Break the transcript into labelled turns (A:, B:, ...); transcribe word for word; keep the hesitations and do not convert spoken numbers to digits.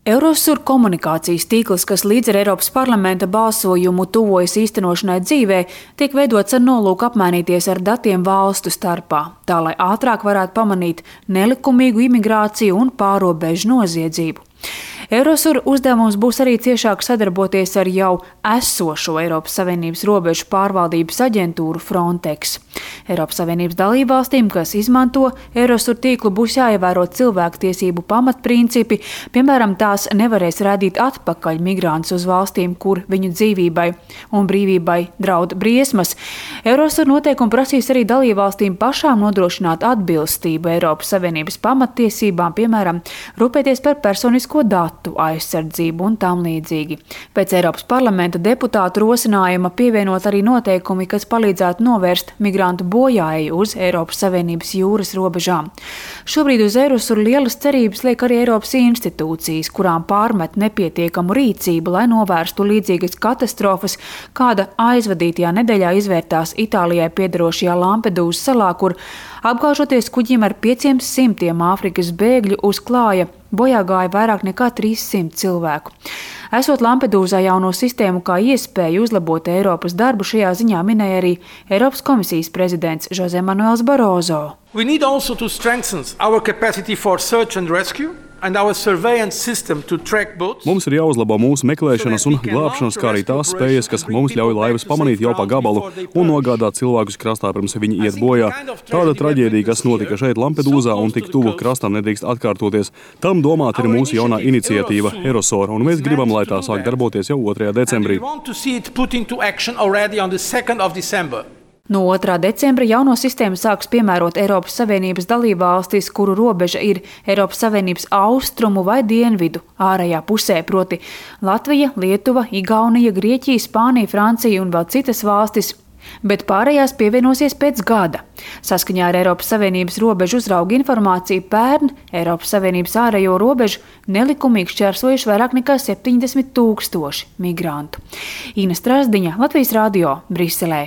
A: Eurosur komunikācijas tīkls, kas līdz ar Eiropas parlamenta balsojumu tuvojas īstenošanai dzīvē, tiek veidots ar nolūku apmainīties ar datiem valstu starpā, tā lai ātrāk varētu pamanīt nelikumīgu imigrāciju un pārobežu noziedzību. Eurosur uzdevums būs arī ciešāk sadarboties ar jau esošo Eiropas Savienības robežu pārvaldības aģentūru Frontex. Eiropas Savienības dalībvalstīm, kas izmanto Eurosur tīklu, būs jāievēro cilvēktiesību pamatprincipi, piemēram, tās nevarēs rādīt atpakaļ migrantus uz valstīm, kur viņu dzīvībai un brīvībai draud briesmas. Eurosur noteikumi prasīs arī dalībvalstīm pašām nodrošināt atbilstību Eiropas Savienības pamattiesībām, piemēram, rūpēties par personisko datu aizsardzību un tam līdzīgi. Pēc Eiropas parlamenta deputātu rosinājuma pievienot arī noteikumi, kas palīdzētu novērst migrantu bojāeju uz Eiropas Savienības jūras robežām. Šobrīd uz Eurosur lielas cerības liek arī Eiropas institūcijas, kurām pārmet nepietiekamu rīcību, lai novērstu līdzīgas katastrofas, kāda aizvadītajā nedēļā izvērtās Itālijai piederošajā Lampedūzas salā, kur apgāžoties kuģim ar pieciem simtiem Āfrikas bēgļu uz klāja, bojā gāja vairāk nekā trīs simti cilvēku. Esot Lampedūzā jauno sistēmu kā iespēju uzlabot Eiropas darbu, šajā ziņā minēja arī Eiropas komisijas prezidents José Manuels Barroso.
B: We need also to strengthen our capacity for search and rescue.
C: Mums ir jāuzlabo mūsu meklēšanas un glābšanas, kā arī tās spējas, kas mums ļauj laivas pamanīt jau pa gabalu un nogādāt cilvēkus krastā, pirms viņi iet bojā. Tāda traģēdija, kas notika šeit Lampedūzā un tik tuvu krastam, nedrīkst atkārtoties. Tam domāta ir mūsu jaunā iniciatīva Eurosur, un mēs gribam, lai tā sāk darboties jau otrajā decembrī.
A: No otrā decembra jauno sistēmu sāks piemērot Eiropas Savienības dalībvalstis, kuru robeža ir Eiropas Savienības austrumu vai dienvidu ārējā pusē, proti Latvija, Lietuva, Igaunija, Grieķija, Spānija, Francija un vēl citas valstis, bet pārējās pievienosies pēc gada. Saskaņā ar Eiropas Savienības robežu uzrauga informāciju pērn Eiropas Savienības ārējo robežu nelikumīgi šķērsojuši vairāk nekā septiņdesmit tūkstoši migrantu. Ina Strasdiņa, Latvijas radio, Briselē.